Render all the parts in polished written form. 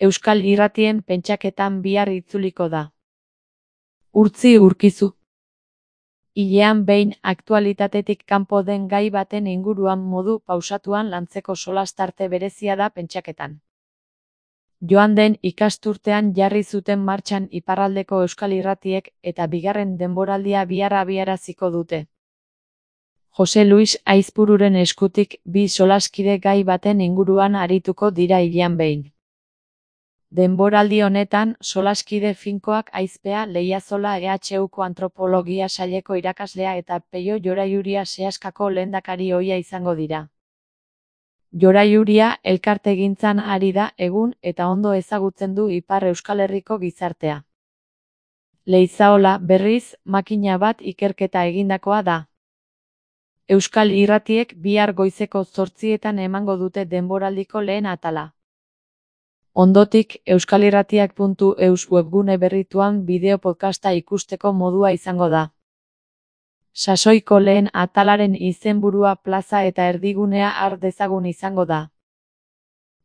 Euskal Irratien pentsaketan bihar itzuliko da. Urtzi Urkizu. Hilean behin aktualitatetik kanpo den gai baten inguruan modu pausatuan lantzeko solastarte berezia da pentsaketan. Joan den ikasturtean jarri zuten martxan iparraldeko Euskal Irratiek eta bigarren denboraldia bihar abiaraziko dute. Jose Luis Aizpururen eskutik bi solaskide gai baten inguruan arituko dira hilean behin. Denboraldi honetan, solaskide finkoak Aizpea Leiazola EHUko antropologia saileko irakaslea eta Peio Joraiuria Seaskako lehendakari ohia izango dira. Joraiuria elkartegintzan ari da egun eta ondo ezagutzen du Ipar Euskal Herriko gizartea. Leizaola, berriz, makina bat ikerketa egindakoa da. Euskal Irratiek bihar goizeko 8:00 emango dute denboraldiko lehen atala. Ondotik, euskalirratiak.eus webgune berrituan bideo podcasta ikusteko modua izango da. Sasoiko lehen atalaren izenburua plaza eta erdigunea har dezagun izango da.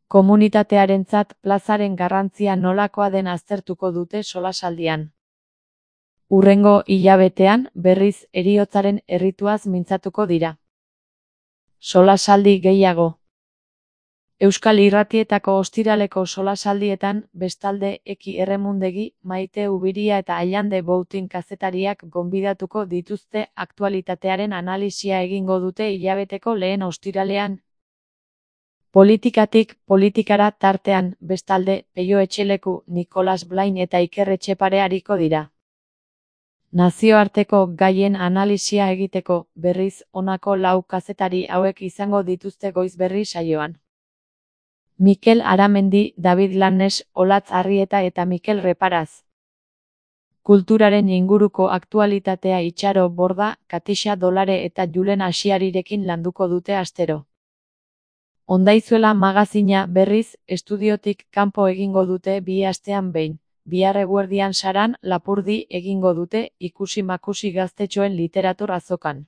Komunitatearentzat plazaren garrantzia nolakoa den aztertuko dute solasaldian. Hurrengo hilabetean, berriz, heriotzaren errituaz mintzatuko dira. Solasaldi gehiago. Euskal Irratietako ostiraleko solasaldietan, bestalde, Eki Erremundegi, Maite Ubiria eta Allande Boutin kazetariak gonbidatuko dituzte aktualitatearen analisia egingo dute hilabeteko lehen ostiralean. Politikatik politikara tartean, bestalde, Peio Etxeleku, Nikolas Blain eta Iker Etxepare ariko dira. Nazioarteko gaien analisia egiteko, berriz, honako 4 kazetari hauek izango dituzte goizberri saioan. Mikel Aramendi, David Lannes, Olatz Arrieta eta Mikel Reparaz. Kulturaren inguruko aktualitatea Itxaro Borda, Katixa Dolare eta Julen Asiarirekin landuko dute astero. Ondaizuela magazina berriz, estudiotik kanpo egingo dute 2 astean behin. Bihar eguerdian Saran, Lapurdi egingo dute ikusi-makusi gaztetxoen literatur azokan.